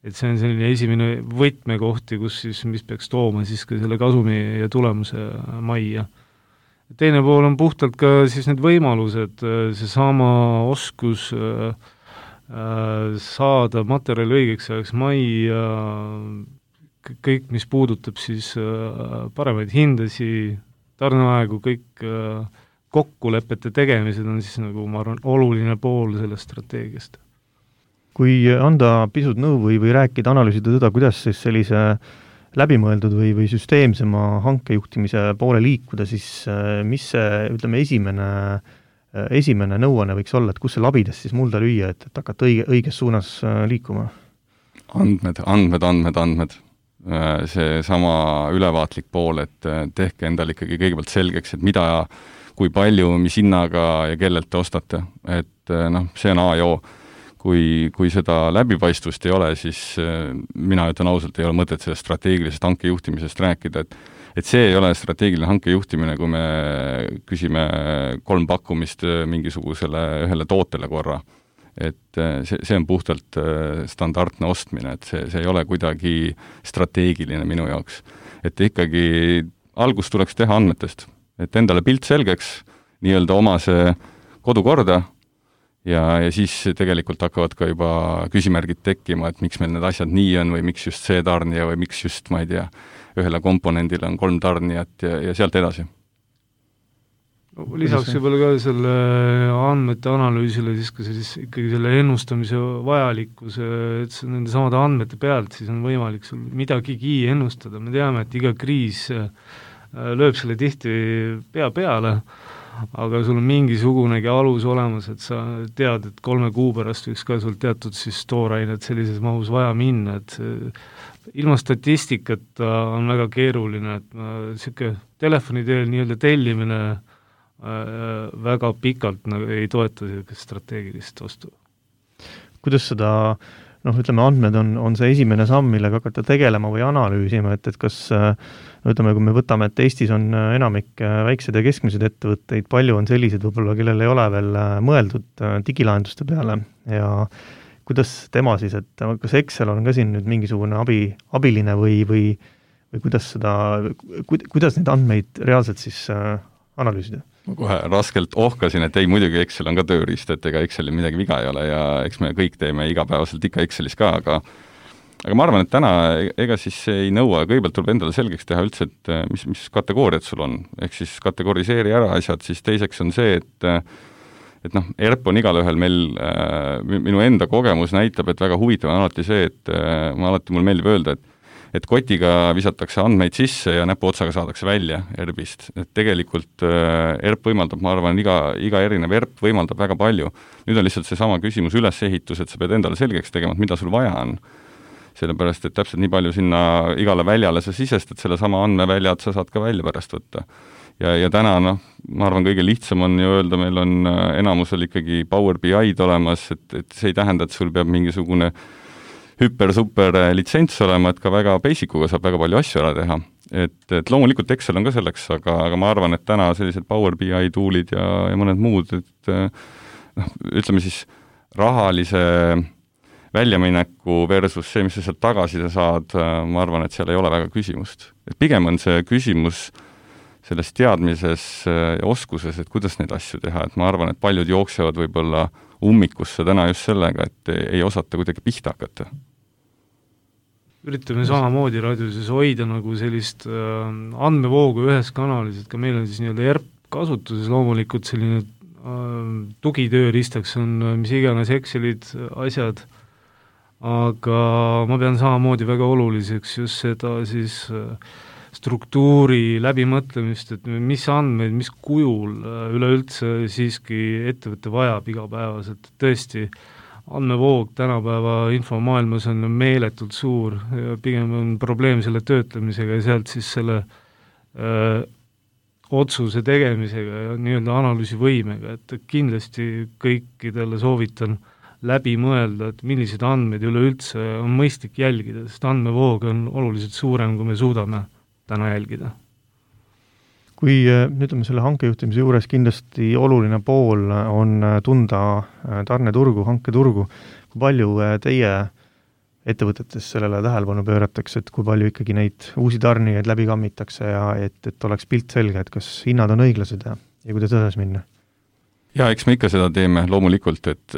et see on selline esimene võtmekohti, kus siis, mis peaks tooma siis ka selle kasumi ja tulemuse majja. Teine pool on puhtalt ka siis need võimalused, seesama oskus saada materjali õigeks ajaks majja, kõik, mis puudutab siis paremaid hindasi, tarneaegu, kõik kokkulepete tegemised on siis nagu, ma arvan, oluline pool sellest strateegiast. Kui anda pisut nõu või rääkida, analüüsida seda, kuidas siis sellise läbimõeldud või süsteemsema hankejuhtimise poole liikuda, siis mis see, ütleme, esimene nõuanne võiks olla, et kus see labides siis mulda lüüa, et hakata õiges suunas liikuma? Andmed. See sama ülevaatlik pool, et tehke endal ikkagi kõigepealt selgeks, et mida, kui palju, mis hinnaga ja kellelt te ostate. Et see on A ja O. Kui seda läbipaistvust ei ole, siis mina ütlen ausalt, ei ole mõtet sellest strateegilisest hankejuhtimisest rääkida, et see ei ole strateegiline hankejuhtimine, kui me küsime 3 pakkumist mingisugusele ühele tootele korra. Et see on puhtalt standardne ostmine, et see ei ole kuidagi strateegiline minu jaoks. Et ikkagi algus tuleks teha andmetest, et endale pilt selgeks, nii-öelda oma see kodukorda, ja siis tegelikult hakkavad ka juba küsimärgid tekkima, et miks meil need asjad nii on või miks just see tarnija või miks just, ma ei tea, ühele komponendile on 3 tarnijat ja sealt edasi. Lisaks võib-olla ka selle andmete analüüsile siis ka ikkagi selle ennustamise vajalikkuse, et nende samade andmete pealt siis on võimalik sul midagigi ennustada. Me teame, et iga kriis lööb selle tihti pea peale, aga sul on mingisugunegi alus olemas, et sa tead, et 3 kuu pärast võiks ka sul teatud siis toorainet sellises mahus vaja minna, et ilma statistikata on väga keeruline, et selline telefoni teel nii-öelda tellimine väga pikalt ei toeta strateegilist ostu. Kuidas seda ütleme, andmed on see esimene samm, millega hakata tegelema või analüüsima, et kas ütleme, kui me võtame, et Eestis on enamik väiksed ja keskmised ettevõtteid, palju on sellised võib-olla, kellel ei ole veel mõeldud digilahenduste peale ja kuidas tema siis, et kas Excel on ka siin nüüd mingisugune abiline või kuidas neid andmeid reaalselt siis analüüsida? Ma kohe raskelt ohkasin, et ei, muidugi Excel on ka tööriist, et ega Excelil midagi viga ei ole ja eks me kõik teeme igapäevaselt ikka Excelis ka, aga ma arvan, et täna ega siis ei nõua, kõigepealt tuleb endale selgeks teha üldse, et mis kategooriad sul on, ehk siis kategoriseeri ära asjad, siis teiseks on see, et ERP on igalühel meil, minu enda kogemus näitab, et väga huvitav on alati see, et mul meeldib öelda, et kotiga visatakse andmeid sisse ja näpuotsaga saadakse välja ERP-ist. Et tegelikult ERP võimaldab, ma arvan, iga erinev ERP võimaldab väga palju. Nüüd on lihtsalt see sama küsimus ülesehitus, et sa pead endale selgeks tegema, et mida sul vaja on. Sellepärast, et täpselt nii palju sinna igale väljale sa sisestad, selle sama andmeväljad sa saad ka välja pärast võtta. Ja täna, ma arvan, kõige lihtsam on ju öelda, meil on enamusel ikkagi Power BI-d olemas, et see ei tähenda, et sul peab mingisugune hüper-super litsents olema, et ka väga basic'uga saab väga palju asju ära teha. Et loomulikult Excel on ka selleks, aga ma arvan, et täna sellised Power BI toolid ja mõned muud, et ütleme siis rahalise väljamineku versus see, mis sa sealt tagasi saad, ma arvan, et seal ei ole väga küsimust. Et pigem on see küsimus selles teadmises ja oskuses, et kuidas neid asju teha, et ma arvan, et paljud jooksevad võib-olla ummikusse täna just sellega, et ei osata kuidagi pihta hakata. Üritame samamoodi raadiuses hoida nagu sellist andmevoogu ühes kanalis, et ka meil on siis nii-öelda ERP kasutuses loomulikult selline tugitööristaks on mis iganes Excelid, asjad, aga ma pean samamoodi väga oluliseks just seda siis struktuuri läbimõtlemist, et mis andmeid, mis kujul üleüldse siiski ettevõtte vajab igapäevaselt. Tõesti, andmevoog tänapäeva infomaailmas on meeletult suur ja pigem on probleem selle töötlemisega ja sealt siis selle otsuse tegemisega ja nii-öelda analüüsivõimega, et kindlasti kõikidele soovitan läbi mõelda, et millised andmeid üleüldse on mõistlik jälgida, sest andmevoog on oluliselt suurem, kui me suudame täna jälgida. Kui ütleme selle hankejuhtimise juures kindlasti oluline pool on tunda tarneturgu, hanketurgu, kui palju teie ettevõtetes sellele tähelepanu pööratakse, et kui palju ikkagi neid uusi tarnijaid läbi kammitakse ja et oleks pilt selge, et kas hinnad on õiglased ja kuidas edasi minna? Ja eks me ikka seda teeme loomulikult, et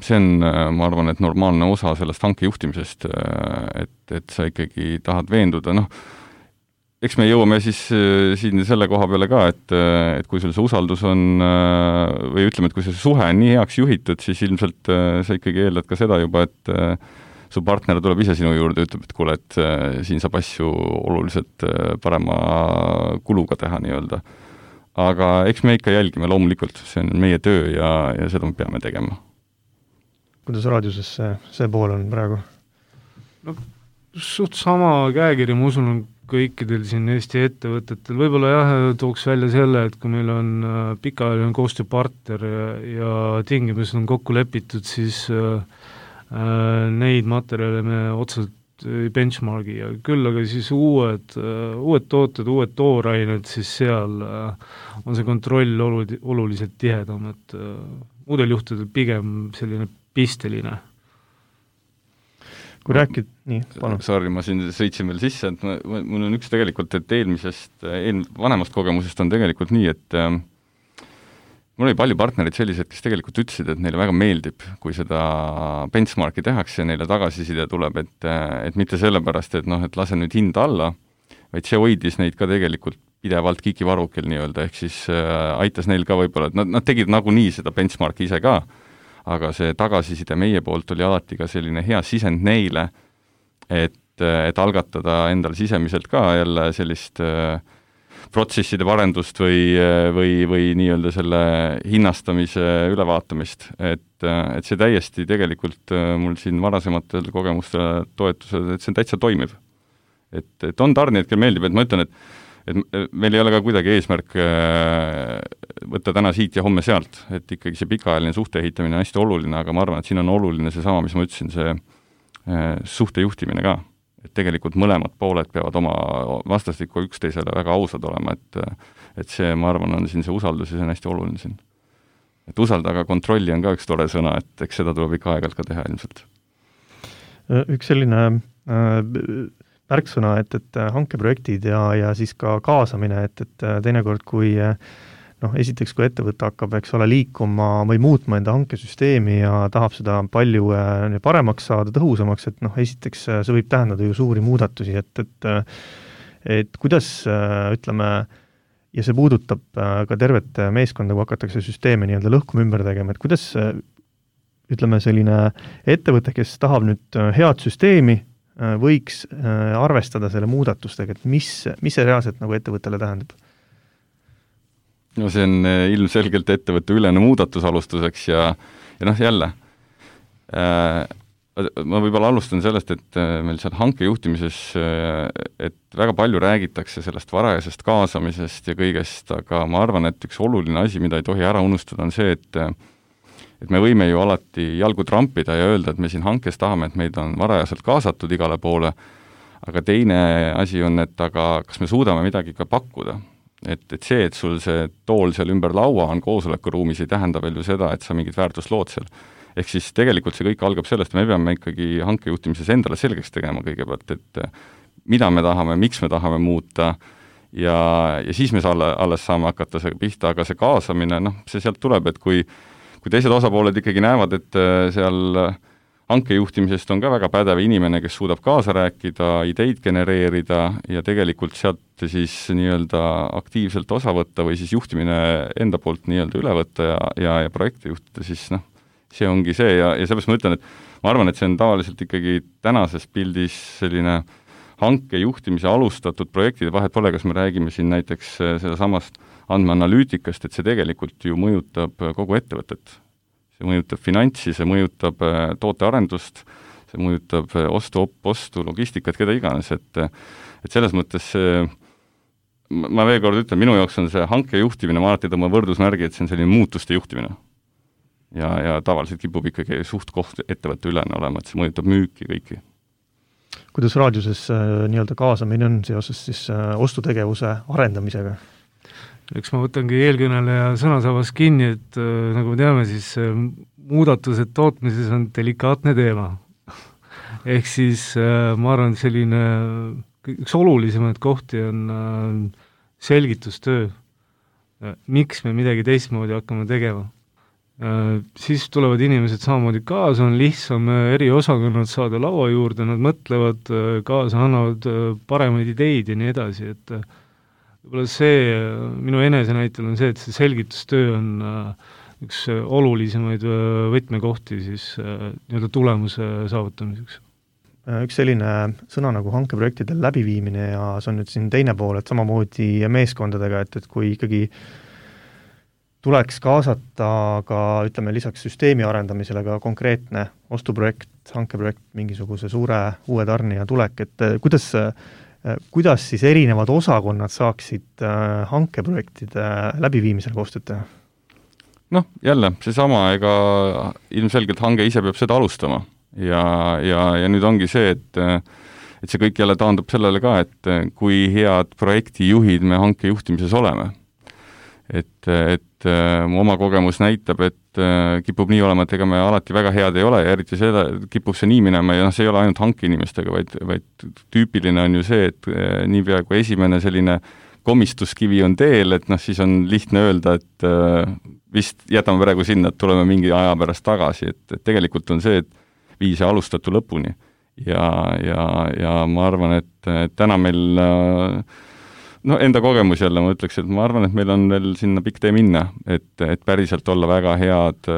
see on, ma arvan, et normaalne osa sellest hankejuhtimisest, et sa ikkagi tahad veenduda, eks me jõuame siis siin selle koha peale ka, et kui sul see usaldus on, või ütleme, et kui see suhe on nii heaks juhitud, siis ilmselt sa ikkagi eeldad ka seda juba, et su partner tuleb ise sinu juurde ja ütleb, et kuule, et siin saab asju oluliselt parema kuluga teha nii-öelda. Aga eks me ikka jälgime loomulikult, see on meie töö ja seda me peame tegema. Kuidas raadiuses see pool on praegu? Suht sama käekiri, ma usun, on kõikidel siin Eesti ettevõtetel. Võib-olla jah, tooks välja selle, et kui meil on pikaajaline koostööpartner ja tingimused on kokku lepitud, siis neid materjale me otseselt benchmarki ja küll, aga siis uued tooted, uued toorained, siis seal on see kontroll oluliselt tihedam, et muudel juhtudel pigem selline pisteline. Kui rääkid, nii, palun. Sorry, ma siin sõitsin veel sisse, et mul on üks tegelikult, et vanemast kogemusest on tegelikult nii, et mul oli palju partnerid sellised, kes tegelikult ütlesid, et neile väga meeldib, kui seda benchmarki tehakse ja neile tagasiside tuleb, et mitte sellepärast, et lase nüüd hinda alla, vaid see hoidis neid ka tegelikult pidevalt kikivarukil nii-öelda, ehk siis aitas neil ka võib-olla, et nad tegid nagunii seda benchmarki ise ka, aga see tagasiside meie poolt oli alati ka selline hea sisend neile, et algatada endal sisemiselt ka jälle sellist protsesside parendust või nii-öelda selle hinnastamise ülevaatamist, et see täiesti tegelikult mul siin varasematel kogemustel toetused, et see täitsa toimib. Et on tarnijad, kel meeldib, et ma ütlen, et meil ei ole ka kuidagi eesmärk võtta täna siit ja homme sealt, et ikkagi see pikaajaline suhte ehitamine on hästi oluline, aga ma arvan, et siin on oluline seesama, mis ma ütlesin, see suhte juhtimine ka. Et tegelikult mõlemad pooled peavad oma vastastikku üksteisele väga ausad olema, et see, ma arvan, on siin see usaldus ja see on hästi oluline siin. Et usalda, aga kontrolli on ka üks tore sõna, et eks seda tuleb ikka aeg-ajalt ka teha ilmselt. Üks selline märksõna, et hankeprojektid ja siis ka kaasamine, et teinekord, kui esiteks, kui ettevõte hakkab, liikuma või muutma enda hankesüsteemi ja tahab seda palju paremaks saada, tõhusamaks, et esiteks see võib tähendada ju suuri muudatusi, et kuidas, ütleme, ja see puudutab ka tervet meeskonda, kui hakatakse süsteemi nii-öelda lõhkuma ümber tegema, et kuidas, ütleme, selline ettevõte, kes tahab nüüd head süsteemi, võiks arvestada selle muudatustega, et mis see reaalselt nagu ettevõttele tähendab? No see on ilmselgelt ettevõtte ülene muudatus alustuseks ja jälle, ma võib-olla alustan sellest, et meil seal hankejuhtimises, et väga palju räägitakse sellest varajasest kaasamisest ja kõigest, aga ma arvan, et üks oluline asi, mida ei tohi ära unustada, on see, et me võime ju alati jalgu trampida ja öelda, et me siin hankes tahame, et meid on varajaselt kaasatud igale poole, aga teine asi on, et aga kas me suudame midagi ka pakkuda. Et see, et sul see tool seal ümber laua on koosolekuruumis, ei tähenda veel ju seda, et sa mingit väärtust lood seal. Ehk siis tegelikult see kõik algab sellest, me peame ikkagi hankejuhtimises endale selgeks tegema kõigepealt, et mida me tahame, miks me tahame muuta ja siis me alles saame hakata see pihta, aga see kaasamine, see sealt tuleb, et kui teised osapooled ikkagi näevad, et seal hankejuhtimisest on ka väga pädev inimene, kes suudab kaasa rääkida, ideid genereerida ja tegelikult sealt siis nii-öelda aktiivselt osa võtta või siis juhtimine enda poolt nii-öelda üle võtta ja projekte juhtida, siis see ongi see ja sellepärast ma ütlen, et ma arvan, et see on tavaliselt ikkagi tänases pildis selline hankejuhtimise alustatud projektide vahet pole, kas me räägime siin näiteks seda samast andmeanalüütikast, et see tegelikult ju mõjutab kogu ettevõtet. See mõjutab finantsi, see mõjutab tootearendust, see mõjutab ostu, logistikat, keda iganes, et selles mõttes ma veel kord ütlen, minu jaoks on see hankejuhtimine, ma alati tõmban võrdusmärgi, et see on selline muutuste juhtimine. Ja tavaliselt kipub ikkagi suht koht ettevõtte ülene olema, et see mõjutab müüki kõiki. Kuidas raadiuses nii-öelda kaasamine on seoses siis ostutegevuse arendamisega? Eks ma võtangi eelkõneleja sõnasabas kinni, et nagu me teame, siis muudatused tootmises on delikaatne teema. Ehk siis ma arvan, et selline üks olulisemaid kohti on selgitustöö. Miks me midagi teistmoodi hakkame tegema? Siis tulevad inimesed samamoodi kaasa, on lihtsam eri osakonnad saada laua juurde, nad mõtlevad kaasa, annavad paremaid ideid ja nii edasi, et võib-olla see, minu enese näitel on see, et see selgitustöö on üks olulisemaid võtmekohti siis nii-öelda tulemuse saavutamiseks. Üks selline sõna nagu hankeprojektide läbiviimine ja see on nüüd siin teine pool, et samamoodi meeskondadega, et kui ikkagi tuleks kaasata ka, ütleme, lisaks süsteemi arendamisele ka konkreetne ostuprojekt, hankeprojekt, mingisuguse suure uue tarnija tulek, et kuidas siis erinevad osakonnad saaksid hankeprojektide läbiviimisel koostööd teha? Jälle, seesama, ega ilmselgelt hange ise peab seda alustama ja nüüd ongi see, et see kõik jälle taandub sellele ka, et kui head projektijuhid me hankejuhtimises oleme. Et mu oma kogemus näitab, et kipub nii olema, et ega me alati väga head ei ole ja eriti seda kipub see nii minema ja see ei ole ainult hankeinimestega, vaid tüüpiline on ju see, et niipea kui esimene selline komistuskivi on teel, et siis on lihtne öelda, et vist jätame praegu sinna, et tuleme mingi aja pärast tagasi, et tegelikult on see, et vii see alustatu lõpuni ja ma arvan, et täna meil enda kogemus jälle ma ütleks, et ma arvan, et meil on veel sinna pikk tee minna, et päriselt olla väga head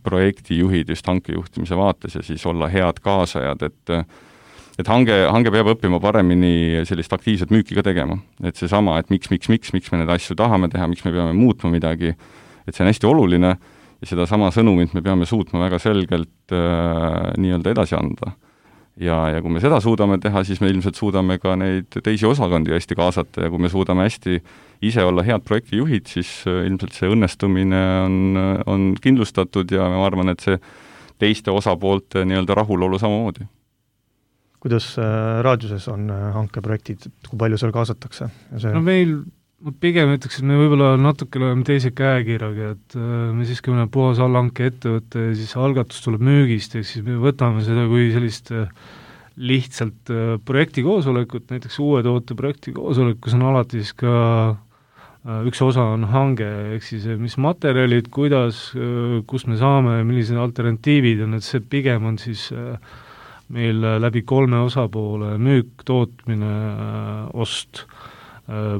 projektijuhid just hankejuhtimise vaates ja siis olla head kaasajad, et hange peab õppima paremini sellist aktiivset müüki ka tegema. Et seesama, et miks me need asju tahame teha, miks me peame muutma midagi, et see on hästi oluline ja seda sama sõnumit me peame suutma väga selgelt nii-öelda edasi anda. Ja kui me seda suudame teha, siis me ilmselt suudame ka neid teisi osakondi hästi kaasata ja kui me suudame hästi ise olla head projektijuhid, siis ilmselt see õnnestumine on kindlustatud ja ma arvan, et see teiste osapoolte nii-öelda rahulolu samamoodi. kuidas raadiuses on hankeprojektid, kui palju seal kaasatakse? No meil ma pigem ütleks, et me võib-olla natukene oleme teise käekirjaga, et me siiski oleme puhas allhanke ettevõtte ja siis algatus tuleb müügist, ehk siis me võtame seda kui sellist lihtsalt projektikoosolekut, näiteks uue toote projektikoosolek, kus on alati siis ka üks osa on hange, ehk siis mis materjalid, kuidas, kus me saame, millised alternatiivid on, et see pigem on siis meil läbi 3 osapoole müük, tootmine, ost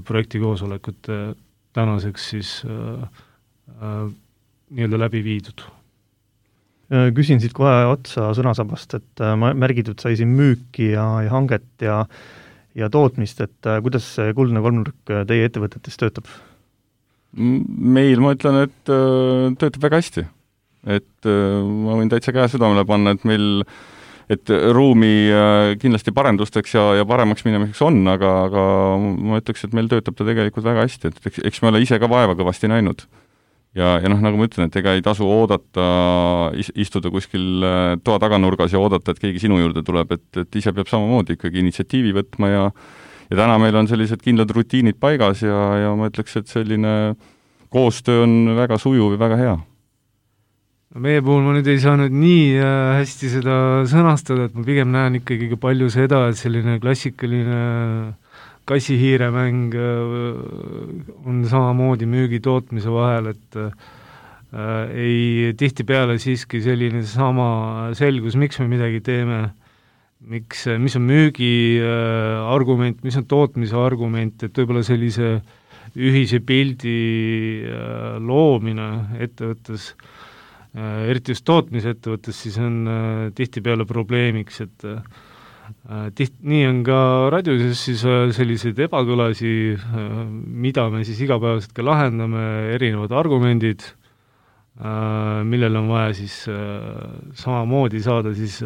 projektikoosolekut tänaseks siis nii-öelda läbi viidud. Küsin siit kohe otsa sõnasabast, et märgitud sai siin müüki ja hanget ja tootmist, et kuidas see kuldne kolmnurk teie ettevõtetes töötab? Meil, ma ütlen, et töötab väga hästi. Et ma võin täitsa käe südamele panna, et meil ruumi kindlasti parendusteks ja paremaks minemiseks on, aga ma ütleks, et meil töötab ta tegelikult väga hästi, et eks me ole ise ka vaeva kõvasti näinud. Ja nagu ma ütlen, et ega ei tasu oodata, istuda kuskil toa taganurgas ja oodata, et keegi sinu juurde tuleb, et ise peab samamoodi ikkagi initsiatiivi võtma ja täna meil on sellised kindlad rutiinid paigas ja ma ütleks, et selline koostöö on väga sujuv ja väga hea. Meie puhul ma nüüd ei saanud nii hästi seda sõnastada, et ma pigem näen ikkagi ka palju seda, et selline klassikaline kassihiiremäng on samamoodi müügi tootmise vahel, et ei tihtipeale siiski selline sama selgus, miks me midagi teeme, mis on müügi argument, mis on tootmise argument, et võib-olla sellise ühise pildi loomine ettevõttes, eriti just tootmisettevõttes, siis on tihtipeale probleemiks, et nii on ka raadiuses siis selliseid ebakõlasi, mida me siis igapäevaselt ka lahendame, erinevad argumendid, millel on vaja siis samamoodi saada siis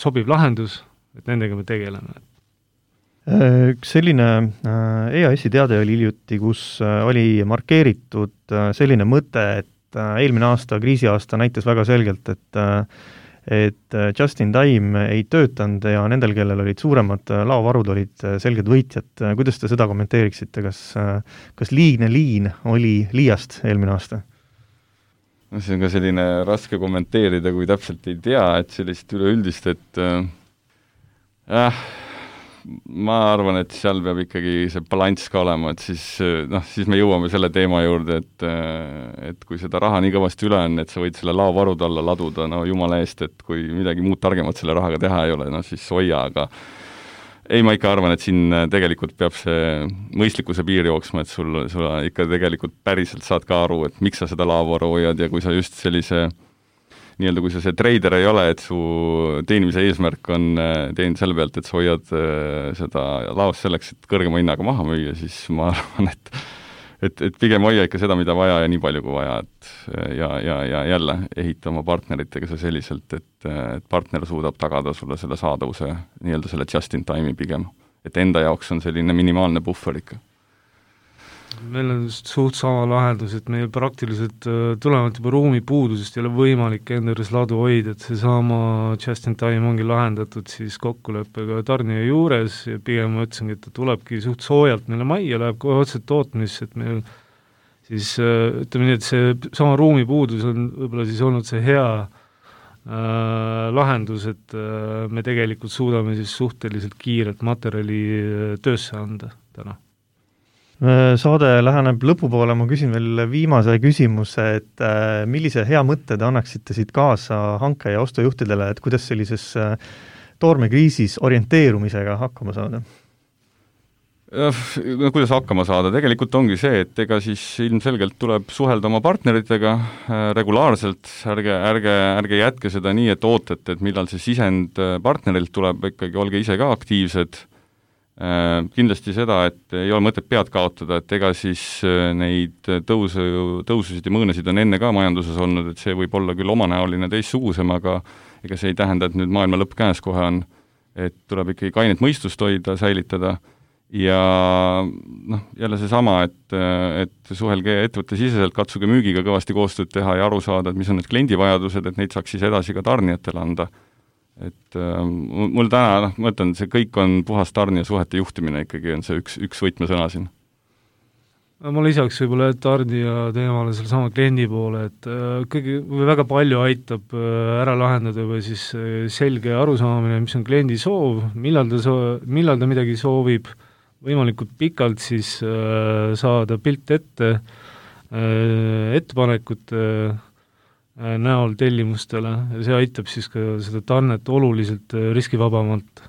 sobiv lahendus, et nendega me tegeleme. Üks selline EAS-i teade oli hiljuti, kus oli markeeritud selline mõte, et eelmine aasta, kriisiaasta näitas väga selgelt, et just in time ei töötanud ja nendel, kellel olid suuremad laovarud, olid selged võitjad. Kuidas te seda kommenteeriksite? Kas liigne liin oli liiast eelmine aasta? See on ka selline raske kommenteerida, kui täpselt ei tea, et sellist üleüldist, et ma arvan, et seal peab ikkagi see balanss ka olema, et siis me jõuame selle teema juurde, et kui seda raha nii kõvasti üle on, et sa võid selle laovarud alla laduda, no jumala eest, et kui midagi muud targemat selle rahaga teha ei ole, no siis hoia, aga ei, ma ikka arvan, et siin tegelikult peab see mõistlikkuse piir jooksma, et sul ikka tegelikult päriselt saad ka aru, et miks sa seda laovaru hoiad ja kui sa just sellise nii-öelda, kui sa see treider ei ole, et su teenimise eesmärk on teenida selle pealt, et sa hoiad seda laost selleks, et kõrgema hinnaga maha müüa, siis ma arvan, et pigem hoia ikka seda, mida vaja ja nii palju kui vaja, ja jälle ehita oma partneritega see selliselt, et partner suudab tagada sulle selle saadavuse, nii-öelda selle just in time'i pigem. Et enda jaoks on selline minimaalne buffer ikka. Meil on suht sama lahendus, et meil praktiliselt tulenevalt juba ruumipuudusest ei ole võimalik enda juures ladu hoida, et see sama just in time ongi lahendatud siis kokkuleppega tarnija juures ja pigem ma ütlesingi, et ta tulebki suht soojalt meile majja, läheb kohe otse tootmisse, et meil siis ütleme nii, et see sama ruumipuudus on võib-olla siis olnud see hea lahendus, et me tegelikult suudame siis suhteliselt kiirelt materjali töösse anda täna. Saade läheneb lõpupoole, ma küsin veel viimase küsimuse, et millise hea mõtte te annaksite siit kaasa hanke- ja ostujuhtidele, et kuidas sellises toormekriisis orienteerumisega hakkama saada? Kuidas hakkama saada? Tegelikult ongi see, et ega siis ilmselgelt tuleb suhelda oma partneritega regulaarselt, ärge jätke seda nii, et ootate, et millal see sisend partnerilt tuleb, ikkagi olge ise ka aktiivsed. Kindlasti seda, et ei ole mõtet pead kaotada, et ega siis neid tõususid ja mõõnesid on enne ka majanduses olnud, et see võib olla küll omanäoline teistsugusem, aga ega see ei tähenda, et nüüd maailma lõpp käes kohe on, et tuleb ikkagi kainet mõistust hoida, säilitada ja jälle seesama, et suhelge ettevõtte siseselt, katsuge müügiga kõvasti koostööd teha ja aru saada, et mis on need kliendivajadused, et neid saaks siis edasi ka tarnijatele anda. et mul täna, ma mõtlen, see kõik on puhas tarnija suhete juhtimine ikkagi on see üks võtmesõna siin. Ma lisaks võib-olla tarnija teemale selle sama kliendi poole, et väga palju aitab ära lahendada või siis selge arusaamine, mis on kliendi soov, millal ta midagi soovib, võimalikult pikalt siis saada pilt ette, ettepanekute näol tellimustele ja see aitab siis ka seda tarnet oluliselt riskivabamalt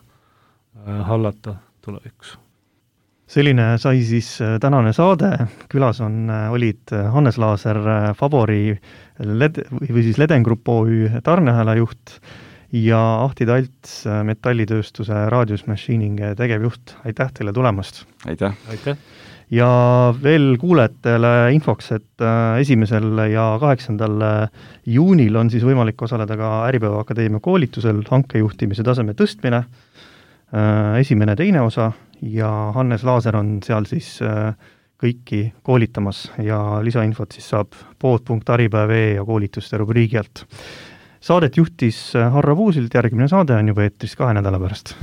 hallata tulevikus. Selline sai siis tänane saade, külas olid Hannes Laaser, Fabori või siis Ledengrupp OÜ tarneahela juht ja Ahti Talts, metallitööstuse Radius Machining tegevjuht. Aitäh teile tulemast! Aitäh! Aitäh! Ja veel kuulajatele infoks, et 1. ja 8. juunil on siis võimalik osaleda ka Äripäeva Akadeemia koolitusel hankejuhtimise taseme tõstmine, 1. ja 2. osa ja Hannes Laaser on seal siis kõiki koolitamas ja lisainfot siis saab pood.aripäev.ee ja koolituste rubriigi alt. Saadet juhtis Harro Puusild, järgmine saade on juba eetris 2 nädala pärast.